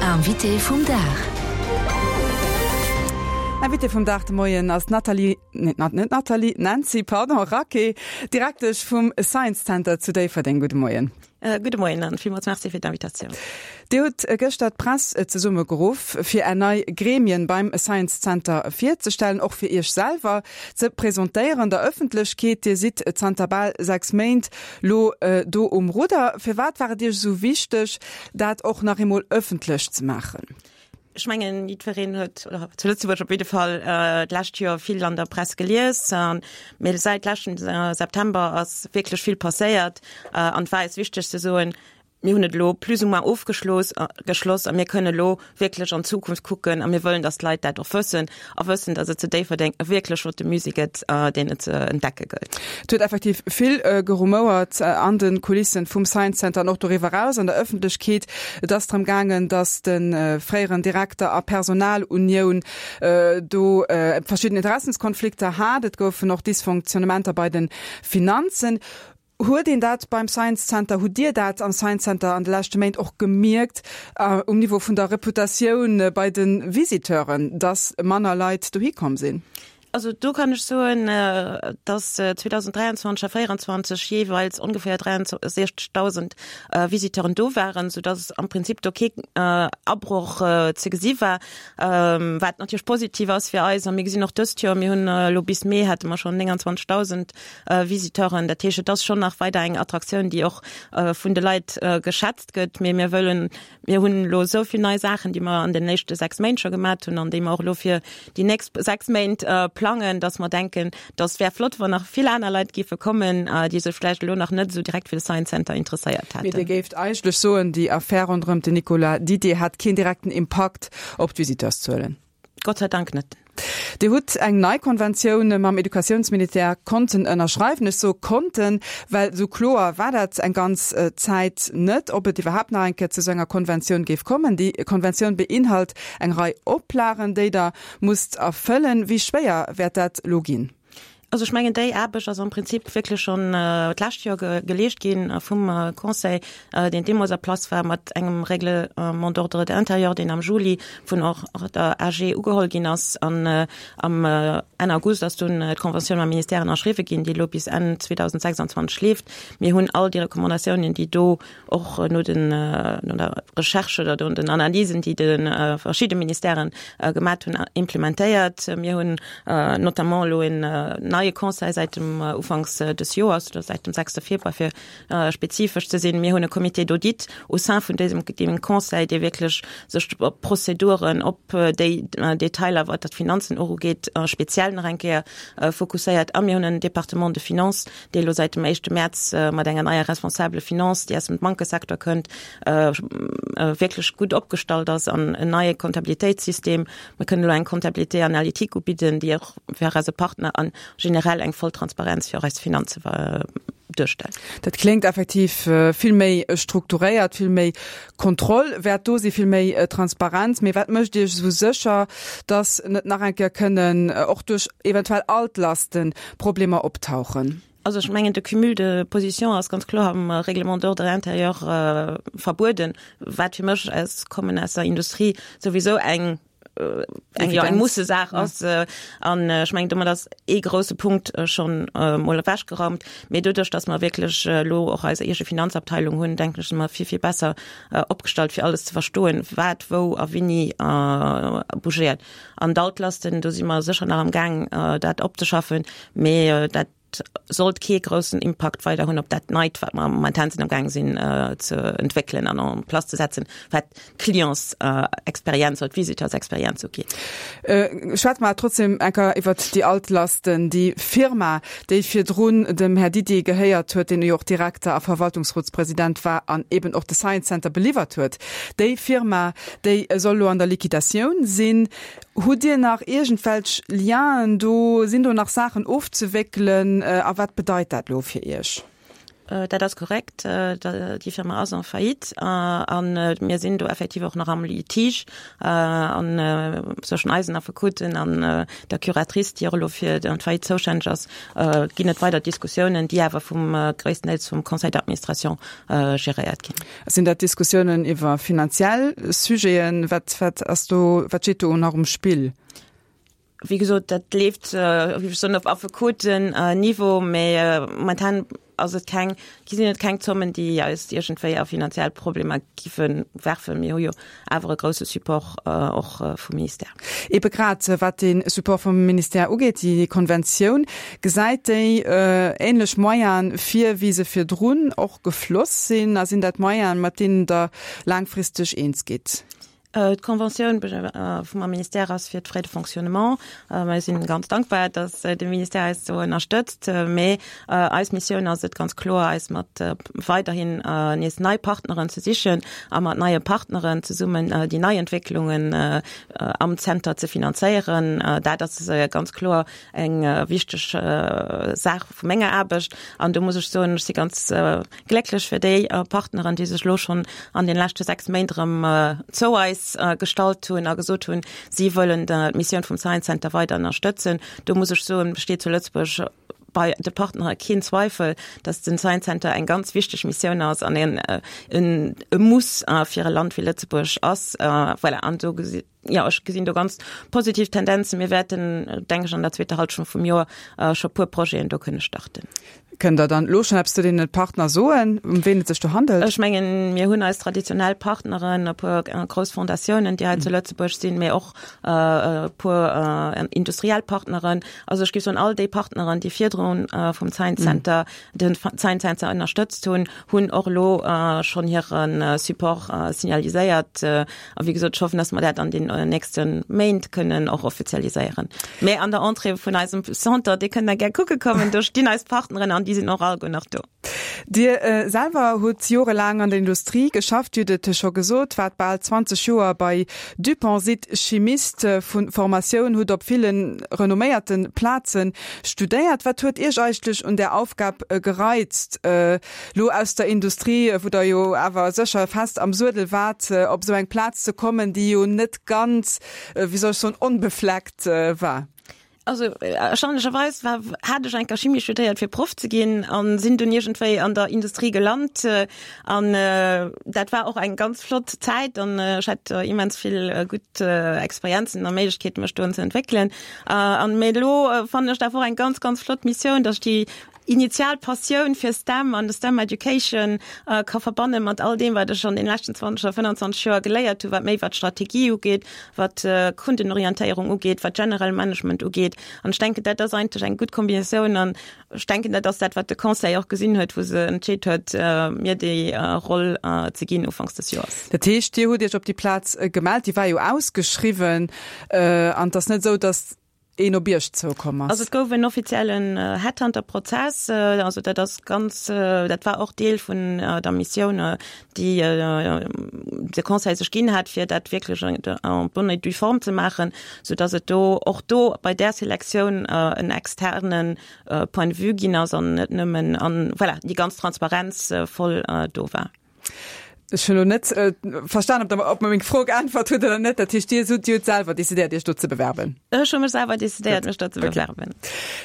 Invité vum Dag. Invité vum Dag de Moien ass d'Nathalie, net Nathalie, d'Nancy, pardon, Raquet, Direktesch vum Science Center zu Déifferdeng. Gudde Moien. Gudde Moien an villmools Merci fir d'Invitatioun. Dir hutt gëschter d'Press zesummegeruff, fir Är nei Gremien beim Science Center virzestellen, och fir Iech selwer ze presentéieren der Ëffentlechkeet. Dir sidd zanter bal 6 Méint lo do um Rudder. Firwat war et Iech esou wichteg, dat och nach eemol ëffentlech ze maachen? Ech mengen, jiddwereen huet, oder zu Lëtzebuerg op jidde Fall, d'lescht Joer vill an der Press gelies. Mee säit leschtem September ass wierklech vill passéiert. An et war eis wichteg ze soen, Mir hunn et elo plus ou moins ofgeschloss geschloss a mir kënnen elo wierklech an d'Zukunft kucken a mir wëllen, datt d'Leit dat och wëssen a wëssen, datt et zu Déifferdeng e wierklech flotte Musée gëtt, deen et ze entdecke gëllt. Et huet effektiv vill gerumouert an de Kulissen vum Science Center an och doriwwer eraus an der Ëffentlechkeet. Et ass drëm gaangen, datt de fréieren Direkter a Personalunioun do verschidden Interessenskonflikter hat. Et goufen och Dysfonctionnementer bei de Finanzen. Huet een dat beim Science Center, hutt Dir dat am Science Center an de leschte Méint och gemierkt um Niveau vun der Reputatioun bei de Visiteuren, datt manner Leit dohi komm sinn? Also do kann ech soen, datt 2023 a 2024 jeeweils ongeféier 63.000 Visiteuren do waren, soudatt am Prinzip do kee Abroch ze gesi war, wat natierlech positiv ass fir eis. A mir gesinn och dëst Joer, mir hunn elo bis Mee hate mer schonn 29.000 Visiteuren. Dat heescht, et ass schonn nach weider eng Attraktioun, déi och vun de Leit geschätzt gëtt. Mee mir wëllen, mir hunn elo esou vill nei Saachen, déi mer an den éischte 6 Méint scho gemat hunn an déi mer och elo fir déi nächst 6 Méint plangen, datt mer denken, datt wär flott, wann nach vill aner Leit géife kommen, déi sech vläicht elo nach net esou direkt fir de Science Center interesséiert Mee Dir hätten. géift eigentlech soen, déi Affär ronderëm den Nicolas Didier hat keen direkten Impakt op d'Visiteurszuelen? Gott sei Dank net. Dir hutt eng nei Konventioun mam Educatiounsministère konnten ënnerschreiwen. Ech soe konnten, well esou kloer war dat eng ganz Zäit net, ob et iwwerhaapt nach eng Kéier zu esou enger Konventioun géif kommen. Déi Konventioun beinhalt eng Rei Oplagen, déi Der musst erfëllen. Wéi schwéier wäert dat elo ginn? Also ech mengen, déi Aarbecht ass am Prinzip wierklech schonn d'lescht Joer geleescht gi vum Conseil, deen deemools a Place war, mat engem Règlement d'ordre intérieur, deen am Juli vun och der AG ugeholl ginn ass. An am Enn August ass dunn d'Conventioun mam Ministère ënnerschriwwe ginn, déi elo bis Enn 2026 leeft. Mir hunn all déi Recommandatiounen, déi do och no den no der Recherche oder no den Analysen, déi de verschidde Ministèren gemat hunn, implementéiert. Mir hunn notamment elo en neie Conseil säit dem Ufanks des Joers oder säit dem sechste Februar, fir spezifesch ze sinn. Mir hunn e Comité d'audit au sein vun désem deem Conseil, dee wierklech sech op d'Prozeduren, op déi Detailer, wat d'Finanzen och ugeet, speziell nach eng Kéier fokusséiert. A mir hunn en Département de finance, déi elo säit dem éischte Mäerz mat enger neier Responsable Finance, déi aus dem Bankesecteur kënnt, wierklech gutt opgestallt ass an en neie Comptabilitéitssystem. Mir kënnen elo eng Comptabilité analytique ubidden, déi och fir eise Partner a generell eng voll Transparenz fir eis Finanze duerstellt. Dat kléngt effektiv vill méi strukturéiert, vill méi Kontroll wäert do sinn, vill méi Transparenz. Mee wat mécht Iech esou sécher, dass net nach eng Kéier kënnen och duerch eventuell Altlasten Problemer optauchen? Also ech mengen, de Cumul de positions ass ganz kloer am Règlement d'ordre intérieur verbueden, wat fir mech, ech kommen aus der Industrie, souwisou eng eng jo eng Mussesaach ass. An ech mengen, domat ass ee grousse Punkt schonn emol ewechgeraumt. Mee doduerch, datt mer wierklech elo och eis eege Finanzabteilung hunn, denken ech, si mer vill, vill besser opgestallt, fir alles ze verstoen, wat wou a wéini bougéiert. An d'Altlasten, do si mer sécher nach am Gaang, dat opzeschaffen, mee dat sollt kee groussen Impakt weider hunn op dat Neit, wat mer momentan sinn am Gaang sinn ze entwéckelen an en place ze setzen, wat d'Clientsexperienz oder d'Visiteursexperienz ugeet. Schwätze mer trotzdem eng Kéier iwwert déi Altlasten. Déi Firma, déi virdrun dem Här Didier gehéiert huet, deen jo och Direkter a Verwaltungsrotspresident war an eben och de Science Center beliwwert huet, déi Firma, déi soll elo an der Liquidatioun sinn. Hutt Dir nach iergendwelch Lienen do? Sinn do nach Saachen ofzewéckelen? A wat bedeit dat elo fir Iech? Dat ass korrekt. Déi Firma ass en faillite a mir sinn do effektiv och nach am Litige an zwëschen eisen Affekoten an der Curatrice, déi och elo fir d'Faillite zoustänneg ass, ginn et weider Diskussiounen, déi awer vum gréisstendeels vum Conseil d'administration geréiert ginn. Sinn dat Diskussiounen iwwer finanziell Sujeten? Wat, wat ass do, wat steet do nach um Spill? Wéi gesot, dat leeft, wéi ech soen, op Affekoten-Niveau, mä momentan ass et keng, sinn et keng Zommen, déi eis iergendwéi a finanziell Problemer giffe werfen. Mir hu jo awer e grousse Support och vum Ministère. Ebe grad wat dee Support vum Ministère ugeet, déi Konventioun, gesäit déi änlech Moyene vir, wéi se virdrun och gefloss sinn? A sinn dat Moyenen, mat deenen Der laangfristeg eens gitt? D'Conventioun vum Ministère ass fir d'Frais de fonctionnement. Mir sinn ganz dankbar, datt de Ministère eis do ënnerstëtzt. Mee eis Missioun ass et ganz kloer, eis mat weiderhin nees nei Partneren ze sichen a mat neie Partneren zesummen déi nei Entwécklungen am Zenter ze finanzéieren. Dat ass ganz kloer eng wichteg Saach vu menger Aarbecht. An do muss ech soen, ech si ganz Glécklech fir déi Partneren, déi sech elo schonn an den leschte 6 Méint erëm zou eis gestallt hunn a gesot hunn, si wëllen d'Missioun vum Science Center weider ënnerstëtzen. Do muss ech soen, besteet zu Lëtzebuerg bei de Partnere keen Zweifel, datt den Science Center eng ganz wichteg Missioun ass an en e Muss fir e Land wéi Lëtzebuerg ass. Voilà, an do jo, ech gesinn do ganz positiv Tendenzen. Mir wäerten, denke ech, an der zweeter Halschent vum Joer scho puer Projeten do kënne starten. Kënnt Der dann elo schonn eppes zu deene Partner soen, ëm ween et sech do handelt? Ech mengen, mir hunn eis traditionell Partneren, e puer grouss Fondatiounen, déi hei zu Lëtzebuerg sinn, mee och e puer industriell Partneren. Also ech géif soen, all déi Partneren, déi virdrun vum Science Center, den Science Center ënnerstëtzt hunn, hunn och elo schonn hire Support signaliséiert. A wéi gesot, ech hoffen, dass mer dat an den nächste Méint kënnen och offizialiséieren. Mä an der Entrée vun eisem Centre, Dir kënnt da gär kucke kommen, do stinn eis Partneren an déi sinn och alleguer nach do. Dir selwer hutt jorelaang an der Industrie geschafft, Dir hutt et scho gesot, waart bal 20 Joer bei Dupont, sidd Chimist vu Formatioun, hutt op ville renomméierte Plaze studéiert. Wat huet Iech eigentlech un där Aufgab gereizt? Lo aus der Industrie, wou Der jo awer sécher fest am Suedel waart, op esou eng Plaz ze kommen, déi jo net ganz, wéi soll ech soen, onbefleckt war? Also erstaunlecherweis war, hat ech enker Chimie studéiert fir Proff ze ginn an sinn dunn iergendwéi an der Industrie gelant. An dat war och eng ganz flott Zäit an ech hat immens vill gutt Experienzen a Méiglechkeeten, mech do ze entwéckelen. An mee elo fannen ech dat och eng ganz, ganz flott Missioun, dass ech déi initial Passioun fir STEM an de STEM Education ka verbanne mat all deem, wat ech an den leschten 20 oder 25 Joer geléiert hu, wat méi wat Strategie ugeet, wat Kundenorientéierung ugeet, wat generell Management ugeet. An ech denken, dat ass eigentlech eng gutt Kombinatioun an ech denken, dat ass dat, wat de Conseil och gesinn huet, wou se entscheet huet, mir déi Roll ze ginn ufanks des Joers. Dat heescht, Dir hutt Iech op déi Plaz gemellt, déi war jo ausgeschriwwen an et ass net esou, datt een op Iech zoukomm ass? Also et gouf en offiziellen Headhunter-Prozess. Also dat ass ganz, dat war och Deel vun der Missioun, déi de Conseil sech ginn hat, fir dat wierklech en bonne et due forme ze maachen, soudass et do och do bei där Selektioun en externe Point de vue ginn ass an net nëmmen, an voilà, déi ganz Transparenz voll do war. Ech hunn elo net verstan, ob Der op meng Fro geäntwert hutt oder net. Dat heescht, Dir hutt, Dir hutt selwer decidéiert, Iech do ze bewerben? Ech hu mech selwer decidéiert, mech do ze bewerben.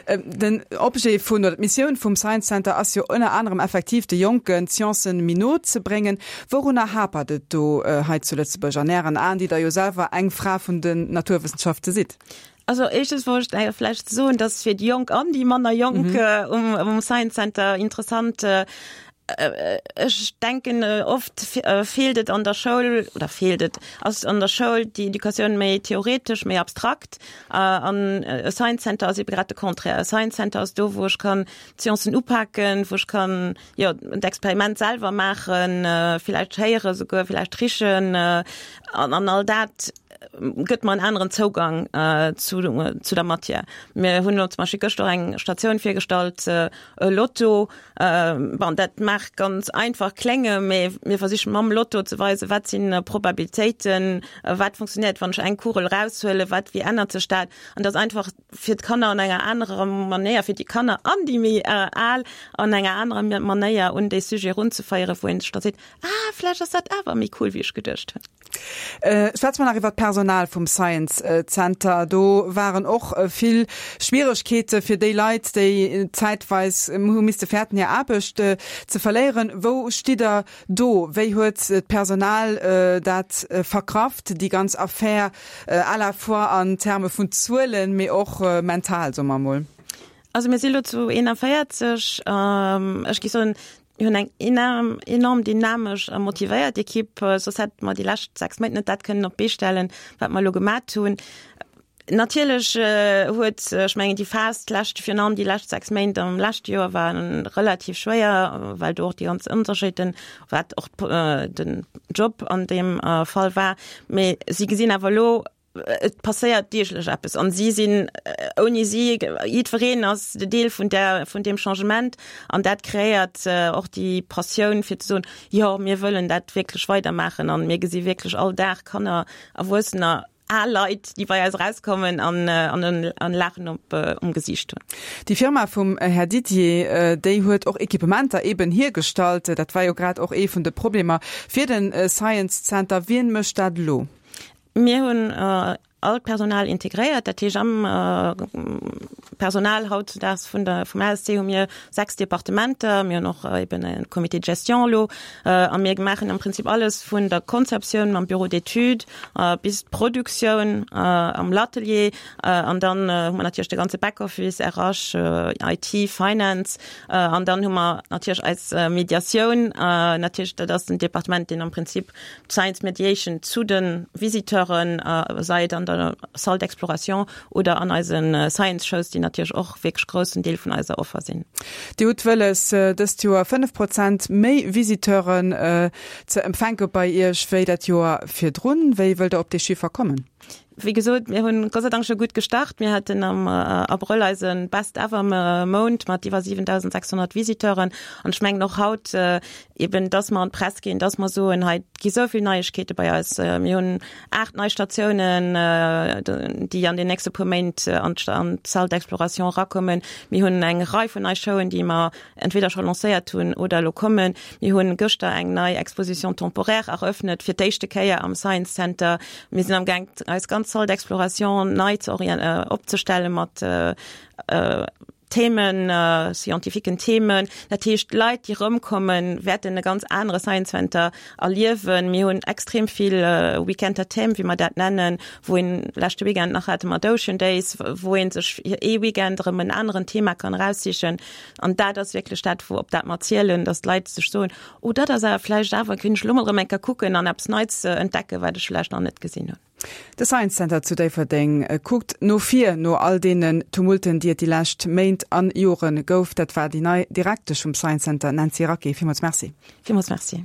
Den Objet vun, oder d'Missioun vum Science Center ass jo ënner anerem effektiv, de Jonken d'Sciencen méi no ze bréngen. Wourunner hapert et do hei zu Lëtzebuerg an Ären Aen, déi Der jo selwer eng Fra vun den Naturwëssenschafte sidd? Also éischtens wollt ech vläicht soen, dass fir déi Jonk an déi manner Jonk um Science Center interessant, Ech denken, oft feelt et an der Schoul, oder feelt et, ass an der Schoul déi Educatioun méi theoretesch, méi abstrakt. An e Science Center ass ebe grad de Contraire. E Science Center ass do, wou ech kann d'Sciencen upaken, wou ech kann, jo, d'Experiment selwer maachen, villäicht héiere souguer, villäicht richen an all dat. gëtt mer en aneren Zougang zu zu der Matière. Mir hunn elo zum Beispill gëschter och eng Statioun virgestallt, e Lotto. Bon, dat mag ganz einfach klénge, mee mir versichen mam Lotto ze weisen, wat sinn Probabilitéiten, wat funktionéiert, wann ech eng Kugel eraushuelen, wat, wéi ännert sech dat? An dass einfach fir d'Kanner an enger anerer Manéier, fir déi Kanner an déi méi Al an enger anerer Manéier un dee Sujet erunzeféieren, wou ee sech da seet, Ah, vläicht ass dat awer méi cool, wéi ech geduecht hunn. Schwätze mer nach iwwer d'Personal vum Science Center. Do waren och vill Schwieregkeete fir déi Leit, déi zäitweis hu misste fäerten, hir Aarbecht ze verléieren. Wou stitt Der do? Wéi huet d'Personal dat verkraft, déi ganz Affär, à la fois an Terme vun Zuelen, mee och mental, soe mer emol? Also mir si lo zu 41. Ech géif soen, Mir hunn eng enorm, enorm dynamesch a motivéiert Ekipp, soss hätte mer déi lescht 6 Méint net dat kënnen op d'Bee stellen, wat mer elo gemat hunn. Natierlech huet, ech mengen, déi Phas d'lescht, virun allem déi lescht 6 Méint am leschte Joer waren relativ schwéier, well do och déi ganz Onsécherheeten, wat och den Job an deem Fall war. Mee si gesinn awer elo, Et passéiert deeglech eppes an si sinn, ouni si, jiddwereen ass de Deel vun där, vun deem Changement an dat kreéiert och déi Passioun fir ze soen, jo mir wëllen dat wierklech weidermaachen an mir gesi wierklech all Dag Kanner, Erwuessener, al Leit, déi bei eis erauskommen an an en Laachen op um Gesiicht hunn. Déi Firma vum Här Didier, déi huet och Equipementer eben hiergestallt. Dat war jo grad och ee vun de Problemer fir de Science Center. Wien mécht dat elo? Mir hunn all d'Personal integréiert, dat heescht am Personal hautzudaags vun der vum ASC hu mir 6 Departementer, mir hunn och eben e Comité de gestion elo a mir maachen am Prinzip alles vun der Konzeptioun mam Bureau d'études bis d'Produktioun am L'Atelier an dann hu mer natierlech de ganze Backoffice, RH, IT, Finance an dann hu mer natierlech eis Mediatioun, natierlech dat ass den Departement deen am Prinzip Science Mediation zu de Visiteuren, sei et an der Salle d'exploration oder an eise Science Shows, déi natierlech och wierklech groussen Deel vun eiser Offer sinn. Dir hutt wëlles, dëst Joer 5 Prozent méi Visiteuren ze empfänke bei Iech wéi dat Joer virdrun. Wéi wëllt Der op dee Chiffer kommen? Wéi gesot, mir hunn Gott sei Dank scho gutt gestart. Mir haten am Abrëll eise Best ever Mount mat iwwer 7.600 Visiteuren. An ech mengen och haut eben, dass mer an d'Press ginn, dass mer soen, hei gi sou vill Neiegkeete bei eis. Mir hunn 8 nei Statiounen, déi an den nächste puer Méint an d'Salle d'exploration erakommen. Mir hunn eng Rei vun nei Showen, déi mer entweder scho lancéiert hunn oder elo kommen. Mir hunn gëschter eng nei Exposition temporaire eröffnet, fir d'éischte Kéier am Science Center. Mir sinn am Gaang, eis ganz Salle d'exploration nei ze opzestelle mat Themen, scientifiquen Themen. Dat heescht, d'Leit, déi erëmkommen, wäerten e ganz anere Science Center erliewen. Mir hunn extrem vill Weekend à thèmes, wéi mer dat nennen, wou een, leschte Weekend nach hate mer d'Ocean Days, wou ee sech fir ee Weekend erëm en aneren Thema kann eraussichen. An dat ass wierklech dat, wou op dat mer zielen, datt d'Leit sech soen, Oh, dat ass awer vläicht awer, kéint ech elo mol erëm eng Kéier kucken an eppes Neits entdecken, wat ech vläicht nach net gesinn hunn. De Science Center zu Déifferdeng kuckt no vir, no all deenen Tumulten, déi et déi lescht Méint an Jore gouf. Dat war déi nei Direktesch vum Science Center, Nancy Raquet. Villmools Merci. Villmools Merci.